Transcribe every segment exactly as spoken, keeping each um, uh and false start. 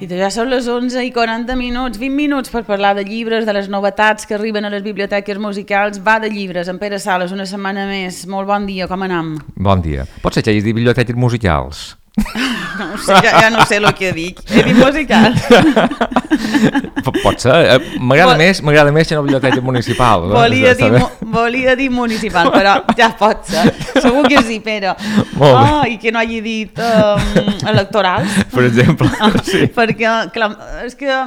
I ja són les onze i quaranta minuts, vint minuts per parlar de llibres, de les novetats que arriben a les biblioteques musicals. Va de llibres, en Pere Sales, una setmana més. Molt bon dia, com anam? Bon dia. Pots ser que hagis dit biblioteques musicals? No ho sé, ja, ja no sé el que dic. He dit musical. Pot ser. M'agrada Vol... més, m'agrada més que no biblioteca municipal. Volia, dir, volia dir municipal, però ja pot ser. Segur que sí, Pere. Molt bé. Oh, I que no hagi dit um, electorals. Per exemple. Sí. Perquè, clar, és que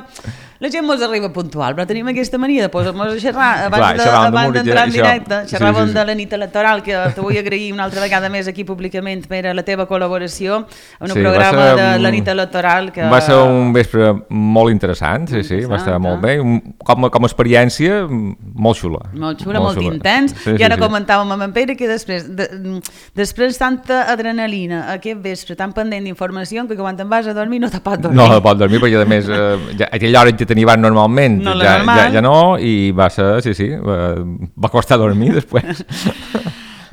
la gent mos arriba puntual, però tenim aquesta mania de posar-nos a xerrar abans d'entrar en directe. Xerràvem sí, sí, sí. de la nit electoral, que te vull agrair una altra vegada més aquí públicament per a la teva col·laboració en un sí, programa ser, de la nit electoral. Que... Va ser un vespre molt interessant, sí, sí, va estar molt bé. Com, com a experiència, molt xula. Molt xula, molt, molt xula. Intens. Sí, I ara sí, comentàvem amb en Pere que després, de, després tanta adrenalina, aquest vespre, tan pendent d'informació, que quan te'n vas a dormir no te pot dormir. No te pot dormir, perquè a més, eh, ja, aquella hora que tenia normalment, no ja, normal. ja, ja no, i va ser, sí, sí, va, va costar dormir després.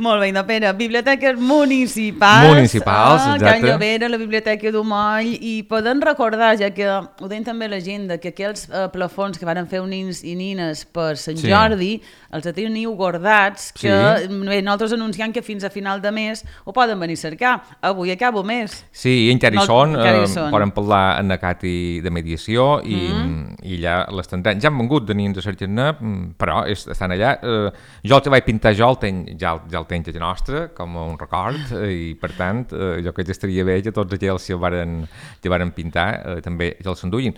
Molt bé, no, Pere, biblioteques municipals, municipals, a Can Llovera, la Biblioteca d'Umoll, i podem recordar, ja que ho deien també l'agenda, que aquells eh, plafons que varen fer nins i nines per Sant sí. Jordi, els teniu guardats, que sí. bé, nosaltres anunciant que fins a final de mes ho poden venir a cercar. Avui acabo mes. Sí, i encara hi no, són, encara hi eh, són. Poden parlar en la Cati de mediació i, mm. i ja les tindran. Ja han vengut de nins a cercar-ne, però estan allà. Eh, jo el que vaig pintar jo el tenc, ja, ja el tenc a nostra, com un record, i per tant, eh, jo crec que estaria bé que tots aquells que varen, que varen pintar eh, també ja els enduïn.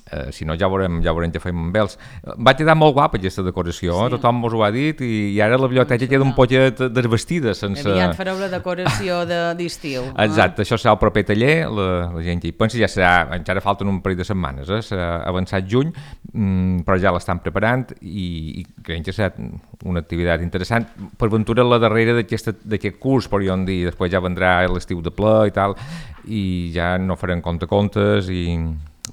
Eh, si no ja veurem, ja veurem què fem amb ells. Va quedar molt guapa aquesta decoració, sí. Tothom mos ho ha dit, i, i ara la biblioteca queda un poquet desvestida. Sense... Aviat fareu la decoració d'estiu. De, Exacte, eh? Això serà el proper taller, la, la gent que hi pensa, ja serà, encara falten un parell de setmanes, eh? Serà avançat juny, mm, però ja l'estan preparant i, i creiem que serà una activitat interessant. Per ventura la darrera d'aquest curs, podríem dir, després ja vendrà l'estiu de ple i tal, i ja no farem compte-contes i...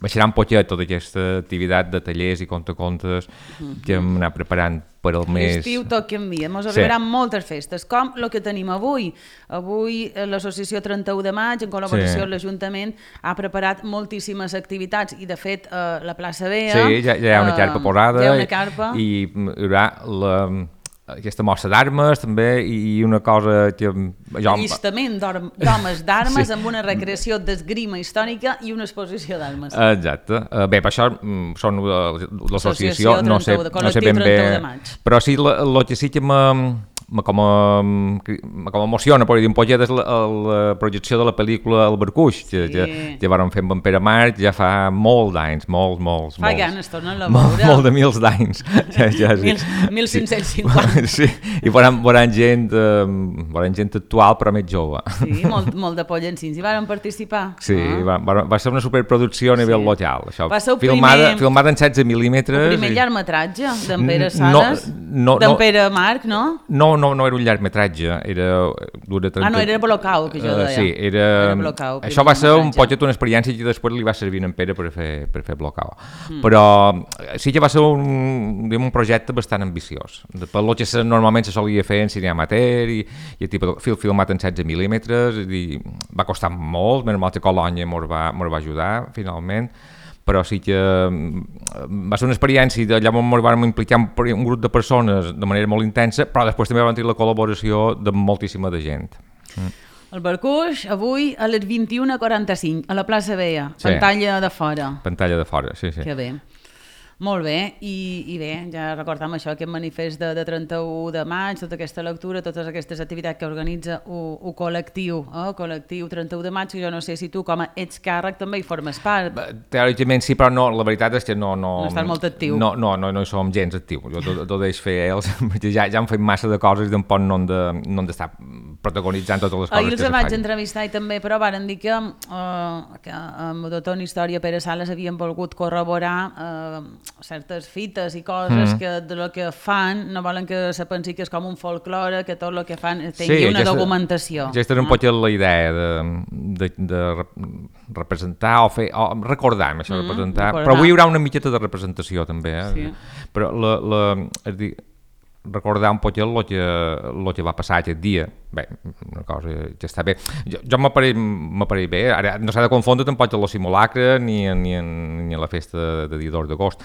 baixarà un poquet tota aquesta activitat de tallers i conte-contes mm-hmm. que hem anat preparant per al mes... L'estiu tot canvia, ens arribaran sí. moltes festes, com el que tenim avui. Avui l'associació trenta-u de maig, en col·laboració sí. amb l'Ajuntament, ha preparat moltíssimes activitats i, de fet, eh, la plaça Bea... Sí, ja, ja hi ha una carpa posada hi ha una carpa. i hi haurà la... aquesta mostra d'armes també i una cosa que... Jo... Allistament d'homes d'armes sí. amb una recreació d'esgrima històrica i una exposició d'armes. Exacte. Bé, per això són l'associació, no sé, no sé ben bé... Però sí, el que sí que m'ha... com a, com a emociona, podria dir un poquet, és la, la projecció de la pel·lícula El Barcuix, que, sí. que, que vàrem fer amb en Pere Marc ja fa molt d'anys, molts, molts, fa molts. ganes, tornen a veure. Molt, molt de mils d'anys. Ja, ja, sí. mil cinc-cents cinquanta. Sí, i veuran, veuran, gent, eh, veuran gent actual, però més jove. Sí, molt, molt de pollancins. I varen participar. Sí, ah. va, va, va ser una superproducció a nivell sí. local. Això, va ser el filmada, primer... filmada en setze mil·límetres. El primer i... llargmetratge d'en Pere Sales, no, no, d'en Pere Marc, no? No, no, no era un llargmetratge, era... trenta... Ah, no, era Blocau, que jo deia. Uh, sí, era... era Blocau, això va ser un poquet una experiència que després li va servir en Pere per fer, per fer Blocau. Mm. Però sí que va ser un, diguem, un projecte bastant ambiciós. Per lo que normalment se solia fer en cine amateur i, i el tipus de fil filmat en setze mil·límetres, i va costar molt, menys mal que Colònia mos va, mos va ajudar, finalment, però sí que va ser una experiència, allà ens vam implicar un grup de persones de manera molt intensa, però després també vam tenir la col·laboració de moltíssima de gent. Mm. El Barcuix, avui a les vint-i-una quaranta-cinc, a la plaça Bea, sí. Pantalla de fora. Pantalla de fora, sí, sí. Que bé. Molt bé, i, i bé, ja recordam això, aquest manifest de, de trenta-u de maig, tota aquesta lectura, totes aquestes activitats que organitza un col·lectiu, eh? col·lectiu trenta-u de maig, que jo no sé si tu com a ets càrrec també hi formes part. Teòricament sí, però no, la veritat és que no... No, no estàs molt actiu. No, no, no, no hi som gens actius, jo tot, tot deixo fer ells, ja, ja han fet massa de coses i tampoc no han de, no han d'estar protagonitzant totes les coses Ahir que se els vaig entrevistar i també, però varen dir que, uh, que amb el doctor en Història Pere Sales havien volgut corroborar uh, certes fites i coses mm. que de lo que fan no volen que se pensi que és com un folklore, que tot el que fan tingui sí, una aquesta, documentació. Aquesta és un poc la idea de, de, de representar o fer, o recordar, això, mm, representar, recordar. Però avui hi haurà una miqueta de representació també, eh? Sí. Però la, la, és dir, recordar un poquet el que, el que va passar aquest dia. Bé, una cosa que està bé. Jo, jo m'apareix bé, ara no s'ha de confondre tampoc amb el simulacre ni, ni, ni la festa de dia dos d'agost.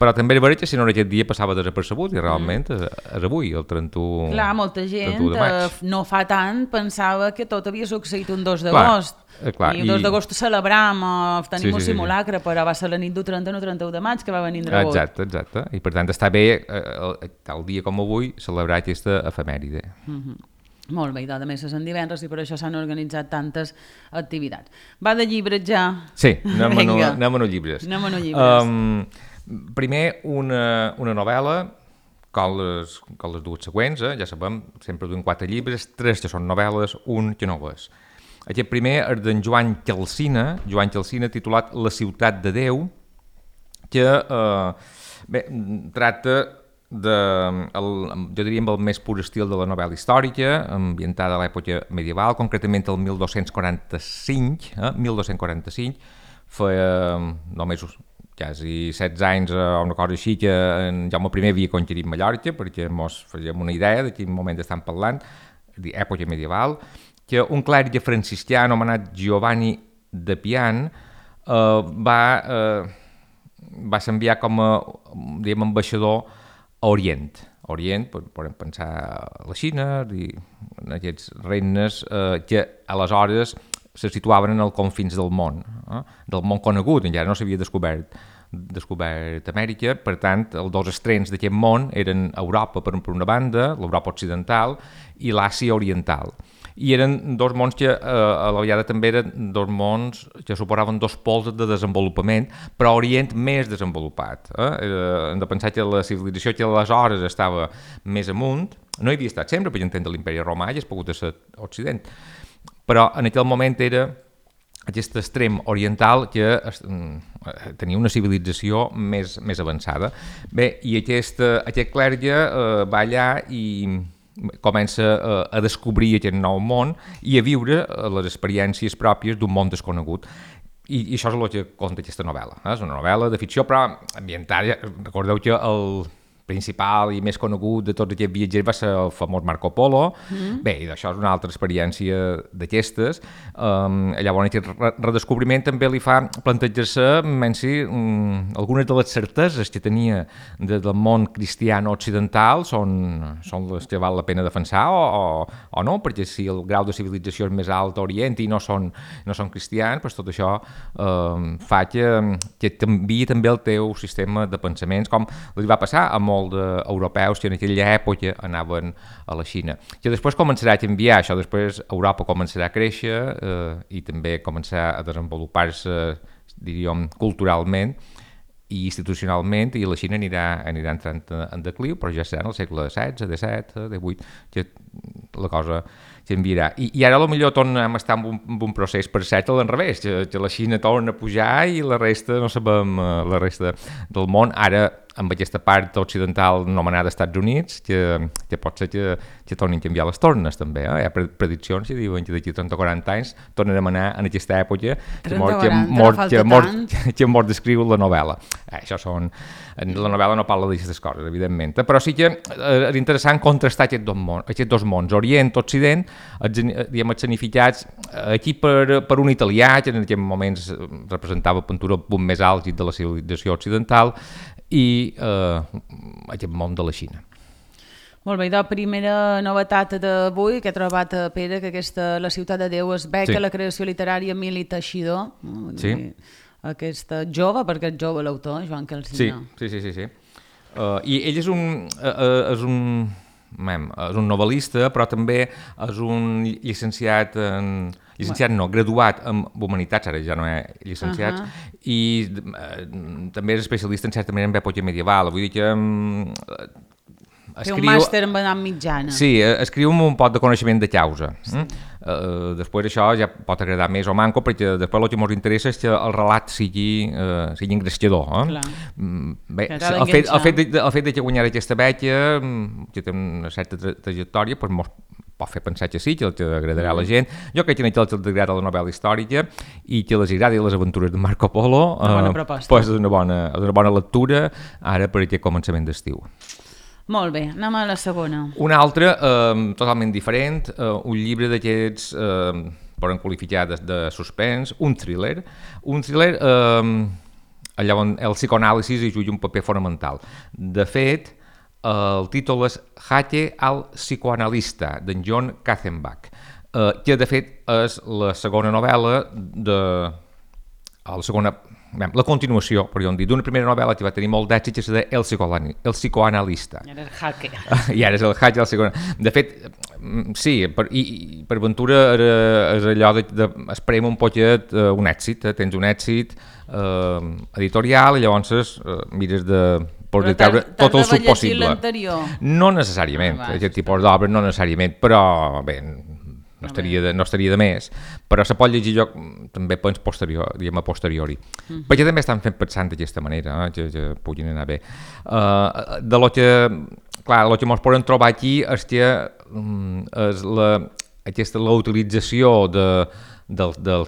Però també és veritat que si no aquest dia passava desapercebut i realment és, és avui, el trenta-u de maig. Clar, molta gent eh, no fa tant pensava que tot havia succeït un dos d'agost. Eh, clar, I el dos d'agost celebram, eh, tenim sí, un sí, simulacre, sí. Però va ser la nit del trenta o trenta-u de maig que va venir rebot. Exacte, exacte. I per tant està bé, eh, tal dia com avui, celebrar aquesta efemèride. Mm-hmm. Molt bé, i a més és en divendres i per això s'han organitzat tantes activitats. Va de llibres ja? Sí, anem, a, anem a no llibres. Anem a no llibres. Um, Primer, una, una novel·la, com les, com les dues següents, eh? Ja sabem, sempre duim quatre llibres, tres que són novel·les, un que no ho és. Aquest primer és d'en Joan Calsina, Joan Calsina, titulat La ciutat de Déu, que eh, bé, tracta de, el, jo diria, amb el més pur estil de la novel·la històrica, ambientada a l'època medieval, concretament el mil dos-cents quaranta-cinc, eh? mil dos-cents quaranta-cinc, feia només quasi setze anys o una cosa així que en Jaume I havia conquerit Mallorca, perquè ens fèiem una idea de quin moment estan parlant, d'època medieval, que un clèrig franciscà anomenat Giovanni de Pian eh, va, eh, va s'enviar com a diguem, ambaixador a Orient. A Orient, podem pensar a la Xina i en aquests regnes eh, que aleshores se situaven en els confins del món, eh? del món conegut, encara no s'havia descobert, descobert Amèrica, per tant, els dos extrems d'aquest món eren Europa per una banda, l'Europa occidental, i l'Àsia oriental. I eren dos mons que eh, a la vegada també eren dos mons que suposaven dos pols de desenvolupament, però Orient més desenvolupat. Eh? Hem de pensar que la civilització que aleshores estava més amunt, no hi havia estat sempre, per entendre l'imperi romà i és pogut ser Occident, però en aquell moment era aquest extrem oriental que tenia una civilització més, més avançada. Bé, i aquest, aquest clergue eh, va allà i comença a, a descobrir aquest nou món i a viure les experiències pròpies d'un món desconegut. I, i això és el que conta aquesta novel·la. Eh? És una novel·la de ficció, però ambientada. Recordeu que el principal i més conegut de tots aquests viatgers va ser el famós Marco Polo. Mm. Bé, i això és una altra experiència d'aquestes. Um, llavors, aquest redescobriment també li fa plantejar-se menys, um, algunes de les certeses que tenia de, del món cristiano occidental són, són les que val la pena defensar o, o, o no, perquè si el grau de civilització és més alt a Orient i no són, no són cristians, doncs tot això um, fa que, que canviï també el teu sistema de pensaments, com li va passar a molts d'europeus que en aquella època anaven a la Xina. Que després començarà a canviar això, després Europa començarà a créixer eh, i també començarà a desenvolupar-se, diríem, culturalment i institucionalment, i la Xina anirà, anirà entrant en decliu, però ja serà en el segle setze, disset, divuit, que la cosa canviarà. I, i ara potser tornem a estar en un, en un procés, per cert, a l'enrevés, que, que la Xina torna a pujar i la resta, no sabem, la resta del món, ara amb aquesta part occidental anomenada Estats Units, que, que pot ser que, que tornin a canviar les tornes també. Eh? Hi ha prediccions que diuen que d'aquí trenta o quaranta anys tornarem a anar en aquesta època que mort, que, mort, que, mort, que mort descriu la novel·la. Eh, això són... La novel·la no parla d'aquestes coses, evidentment, però sí que és interessant contrastar aquests dos mons, aquests dos mons, Orient, Occident, diguem, escenificats aquí per, per un italià, que en aquells moments representava pintura el punt més alt de la civilització occidental, i eh, aquest món de la Xina. Molt bé, la primera novetat d'avui que he trobat a Pere, que aquesta La ciutat de Déu es beca, sí. La creació literària Emili Teixidor, no? Sí. Aquesta jove, perquè és jove l'autor, Joan Calsina. Sí, sí, sí, sí. Uh, I ell és un, uh, és un, mem, és un novel·lista, però també és un llicenciat en... Llicenciat no, graduat en Humanitats, ara ja no és llicenciat, uh -huh. i uh, també és especialista en certa manera en època medieval. Vull dir que... Um, Escriu... Té un màster en edat mitjana. Sí, escriu amb un pot de coneixement de causa. Sí. Mm? Uh, després això ja pot agradar més o manco, perquè després el que ens interessa és que el relat sigui, uh, sigui engrescador. Eh? Mm, bé, el fet, el, fet de, el fet de que guanyar aquesta beca, que té una certa tra trajectòria, doncs mos pot fer pensar que sí, que el que agradarà a la gent. Jo crec que a els agrada la novel·la històrica i que les agradi les aventures de Marco Polo, una bona proposta. Uh, pues és una bona, una bona lectura ara per aquest començament d'estiu. Molt bé, anem a la segona. Una altra, eh, totalment diferent, eh, un llibre d'aquests, eh, poden qualificar de, de suspens, un thriller. Un thriller, eh, allà on el psicoanàlisi hi juga un paper fonamental. De fet, el títol és Jaque al psicoanalista, d'en John Katzenbach, eh, que de fet és la segona novel·la de... la segona... la continuació, podríem dir, d'una primera novel·la que va tenir molt d'èxit, que és de El, el psicoanalista. I ara és Jaque. I ara és el Jaque, el psicoanalista. De fet, sí, per, i, i per Ventura era, és allò de, de esperem un poquet uh, un èxit, eh? Tens un èxit uh, editorial i llavors uh, mires de poder treure tot el sub possible. No necessàriament, ah, aquest tipus d'obres no necessàriament, però bé, no estaria, de, no estaria de més, però se pot llegir jo també pens posterior, diguem a posteriori, uh -huh. perquè també estan fent pensant d'aquesta manera, eh, que, que puguin anar bé. Uh, de lo que, clar, el que ens poden trobar aquí és que um, és la, aquesta la utilització de, del, del,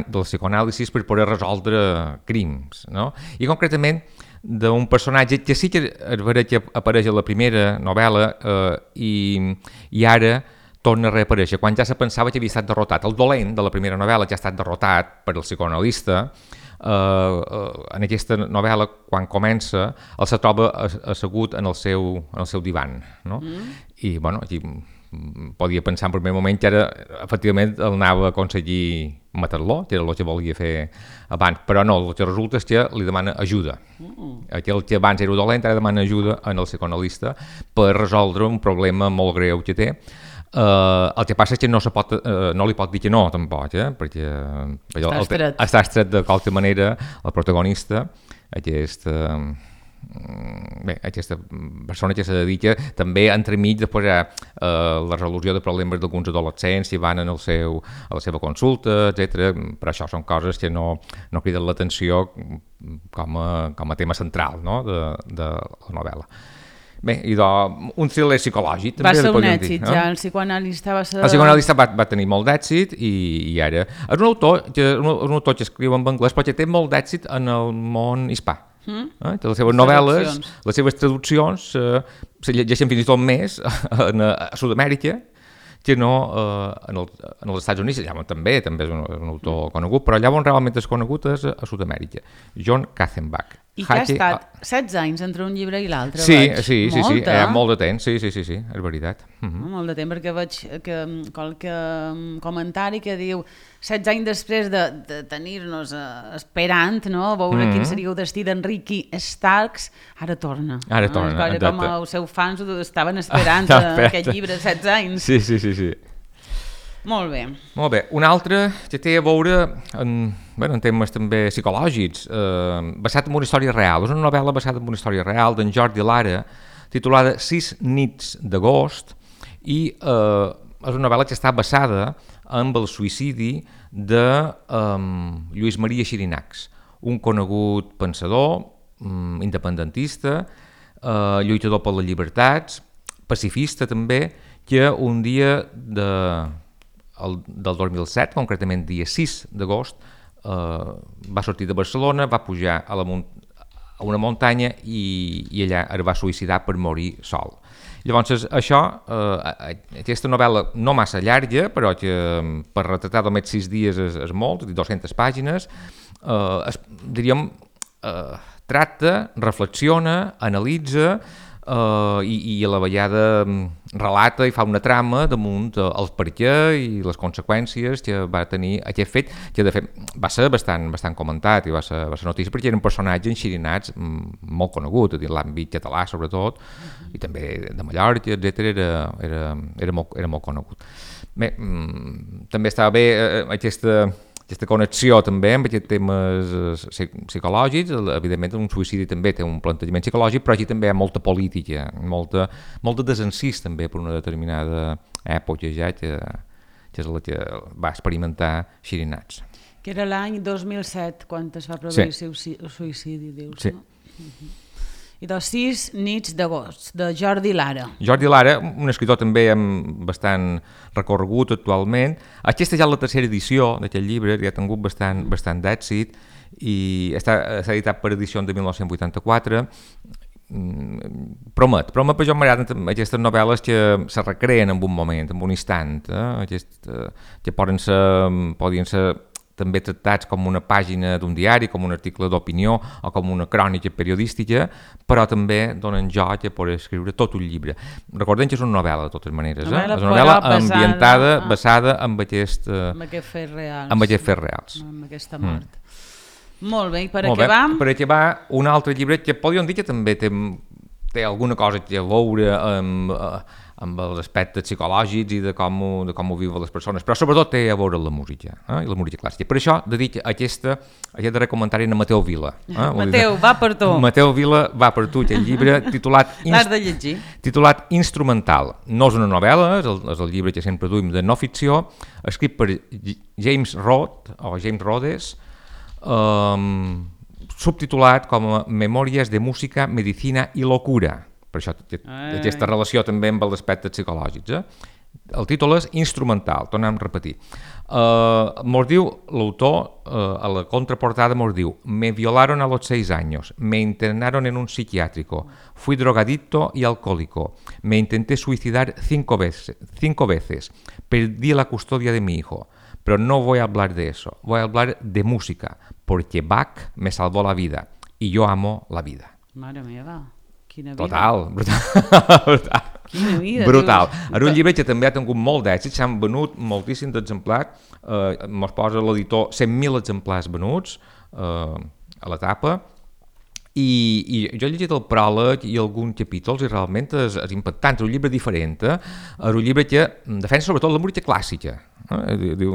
del psicoanàlisi per poder resoldre crims, no? I concretament d'un personatge que sí que és vera que apareix a la primera novel·la eh, i, i ara torna a reaparèixer, quan ja se pensava que havia estat derrotat. El dolent de la primera novel·la ja ha estat derrotat per el psicoanalista. Uh, uh, en aquesta novel·la, quan comença, el se troba assegut en el seu, en el seu divan, no? Mm. I, bueno, aquí podia pensar en primer moment que ara, efectivament, el anava a aconseguir matar-lo, que era el que volia fer abans, però no, el que resulta és que li demana ajuda. Mm. Aquell que abans era dolent, ara demana ajuda en el psicoanalista per resoldre un problema molt greu que té. Uh, el que passa és que no, se pot, uh, no li pot dir que no, tampoc, eh? Perquè està el, estret. Està estret de qualque manera el protagonista, aquest... Uh, bé, aquesta persona que se dedica també entremig després a uh, la resolució de problemes d'alguns adolescents que van en el seu, a la seva consulta, etcètera. Però això són coses que no, no criden l'atenció com a, com a tema central, no? de, de la novel·la. Bé, i doncs, un thriller psicològic també. Va ser un èxit, dir, ja, no? El psicoanalista va ser... El psicoanalista va, va tenir molt d'èxit i, i ara... És un autor, que, un, un autor que escriu en anglès però que té molt d'èxit en el món hispà. Mm? Eh? Les seves novel·les, les seves traduccions eh, se llegeixen fins i tot més en, a Sud-amèrica que no eh, en, el, en els Estats Units. Llavors també, també és un, un autor mm. conegut, però llavors realment és conegut és a Sud-amèrica. John Katzenbach. I que ha estat setze anys entre un llibre i l'altre, sí, veig. Sí, sí, molt, sí, eh? eh? molt de temps, sí, sí, sí, sí, és veritat. Uh-huh. Molt de temps, perquè veig que qualque comentari que diu setze anys després de, de tenir-nos uh, esperant, no? Veure uh-huh. quin seria el destí d'Enrique Starks, ara torna. Ara no? torna, exacte. Com els seus fans estaven esperant ah, aquest llibre setze anys. Sí, sí, sí, sí. Molt bé. Molt bé. Un altre que té a veure en, bueno, en temes també psicològics, eh, basat en una història real. És una novel·la basada en una història real d'en Jordi Lara, titulada Sis nits d'agost, i eh, és una novel·la que està basada en el suïcidi de eh, Lluís Maria Xirinacs, un conegut pensador, um, independentista, eh, lluitador per les llibertats, pacifista també, que un dia de... El, del dos mil set, concretament dia sis d'agost, eh, va sortir de Barcelona, va pujar a, la a una muntanya i, i allà es va suïcidar per morir sol. Llavors, això, eh, aquesta novel·la no massa llarga, però que per retratar només sis dies és, és molt, dues-centes pàgines, eh, es, diríem, eh, tracta, reflexiona, analitza, Uh, i, i a la vegada relata i fa una trama damunt uh, el per què i les conseqüències que va tenir aquest fet, que de fet va ser bastant, bastant comentat i va ser, va ser notícia perquè era un personatge en Xirinacs molt conegut, a dir, l'àmbit català sobretot, uh-huh. i també de Mallorca, etcètera, era, era, era, molt, era molt conegut. Bé, mm, també estava bé eh, aquesta... aquesta connexió també amb aquests temes psicològics. Evidentment un suïcidi també té un plantejament psicològic, però aquí també hi ha molta política, molta, molta desencís també per una determinada època ja que, que és la que va experimentar Xirinacs. Que era l'any dos mil set quan es va produir sí. el suïcidi, dius, sí. no? Uh-huh. I dels sis nits d'agost, de Jordi Lara. Jordi Lara, un escriptor també amb bastant recorregut actualment. Aquesta ja és la tercera edició d'aquest llibre, ja ha tingut bastant, bastant d'èxit i està, està editat per edició de mil nou-cents vuitanta-quatre. promet, promet, però jo m'agraden aquestes novel·les que se recreen en un moment, en un instant, eh? Aquest, eh, que poden ser, podien ser també tractats com una pàgina d'un diari, com un article d'opinió o com una crònica periodística, però també donen joc a poder escriure tot un llibre. Recordem que és una novel·la, de totes maneres. Eh? És una novel·la ambientada, ah. basada en aquest, eh, amb aquest fets reals. Amb aquests fets reals. Amb aquesta mort. Mm. Molt bé, i per Molt acabar... Bé. Per acabar, un altre llibre que podríem dir que també té, té alguna cosa a veure amb... Eh, amb els aspectes psicològics i de com ho, de com ho viuen les persones, però sobretot té a veure la música, eh? I la música clàssica. Per això dedic aquesta, aquest darrer comentari a Mateu Vila. Eh? Mateu, va per tu. Mateu Vila va per tu, aquest llibre titulat... L'has de llegir. Titulat Instrumental. No és una novel·la, és el, és el llibre que sempre duim de no ficció, escrit per James Rhodes, o James Rhodes, um, subtitulat com a Memòries de música, medicina i locura. Per això aquesta relació també amb els aspectes psicològics. Eh? El títol és Instrumental, tornem a repetir. Uh, mos diu l'autor, uh, a la contraportada mos diu: me violaron a los seis años, me internaron en un psiquiátrico, fui drogadicto y alcohólico, me intenté suicidar cinco veces, cinco veces, perdí la custodia de mi hijo, pero no voy a hablar de eso, voy a hablar de música, porque Bach me salvó la vida y yo amo la vida. Mare meva. Quina vida. Total, brutal. brutal. Quina vida, brutal. És un llibre que també ha tingut molt d'èxit, s'han venut moltíssims exemplars, eh, mos posa l'editor cent mil exemplars venuts eh, a l'etapa, i, i jo he llegit el pròleg i alguns capítols i realment és, és impactant, és un llibre diferent, eh? És un llibre que defensa sobretot la música clàssica. Eh? Diu,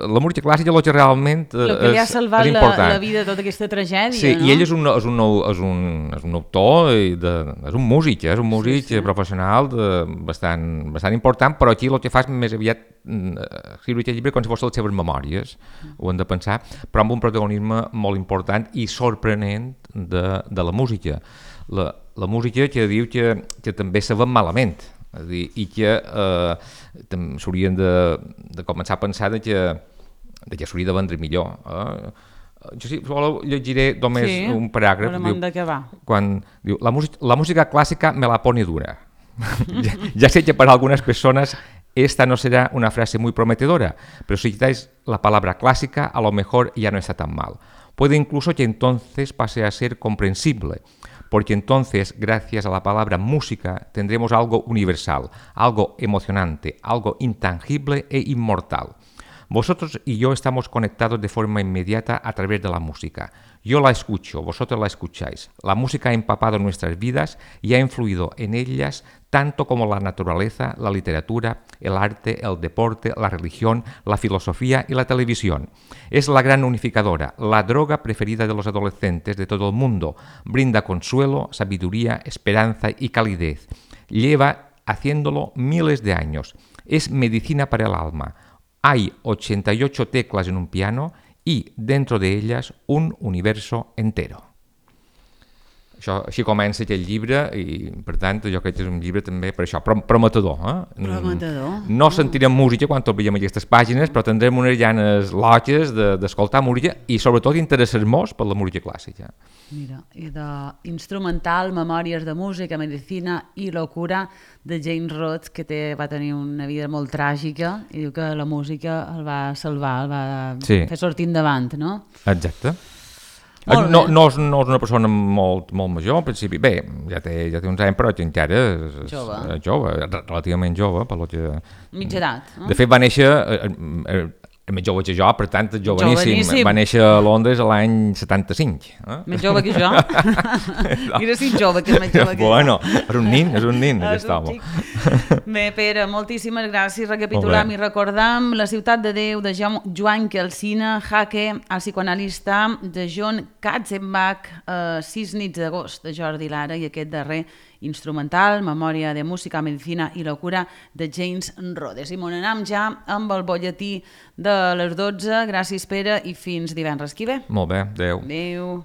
la música clàssica és el que realment és, el que li ha salvat la, la vida de tota aquesta tragèdia, sí, no? I ell és un, és un, és un, és un autor, de, és un músic, és un músic sí, sí. professional de, bastant, bastant important, però aquí el que fa és més aviat escriure aquest llibre com si fos les seves memòries, mm. ho hem de pensar, però amb un protagonisme molt important i sorprenent de, de la música. La, la música que diu que, que també se ven malament, és a dir, i que eh, s'haurien de, de començar a pensar de que, de que s'hauria de vendre millor. Eh? Jo si voleu llegiré només sí, un paràgraf. Diu, quan diu, la, música, la música clàssica me la pone dura. ya, ya sé que para algunas personas esta no será una frase muy prometedora, pero si quitáis la palabra clásica, a lo mejor ya no está tan mal. Puede incluso que entonces pase a ser comprensible, porque entonces, gracias a la palabra música, tendremos algo universal, algo emocionante, algo intangible e inmortal. Vosotros y yo estamos conectados de forma inmediata a través de la música. Yo la escucho, vosotros la escucháis. La música ha empapado nuestras vidas y ha influido en ellas tanto como la naturaleza, la literatura, el arte, el deporte, la religión, la filosofía y la televisión. Es la gran unificadora, la droga preferida de los adolescentes de todo el mundo. Brinda consuelo, sabiduría, esperanza y calidez. Lleva haciéndolo miles de años. Es medicina para el alma. Hay ochenta y ocho teclas en un piano y dentro de ellas un universo entero. Això, així comença aquest llibre i, per tant, jo crec que és un llibre també per això, prometedor. Eh? Prometedor. No sentirem música quan obrirem aquestes pàgines, però tindrem unes llanes loques d'escoltar de, música i sobretot interessar-nos per la música clàssica. Mira, i d'instrumental, memòries de música, medicina i locura de James Rhodes, que té, va tenir una vida molt tràgica i diu que la música el va salvar, el va sí. fer sortir endavant, no? Exacte. No, no, és, no és una persona molt, molt major, en principi. Bé, ja té, ja té uns anys, però encara és, és jove. jove, relativament jove. Per lo que... Mitja edat. No? De fet, va néixer, eh, més jove que jo, per tant, joveníssim. joveníssim. Va néixer a Londres l'any setanta-cinc. Eh? Més jove que jo. Era si jove, que és més jove que bueno, jo. És un nin, és un nin, aquest home. Bé, Pere, moltíssimes gràcies. Recapitulam i recordam La ciutat de Déu, de Joan Calsina, Jaque, el psicoanalista, de John Katzenbach, eh, Sis nits d'agost, de Jordi Lara, i aquest darrer instrumental, Memòria de música, medicina i locura, de James Rhodes. I m'on anem ja amb el bolletí de les dotze. Gràcies, Pere, i fins divendres que ve. Molt bé, adéu. Adéu.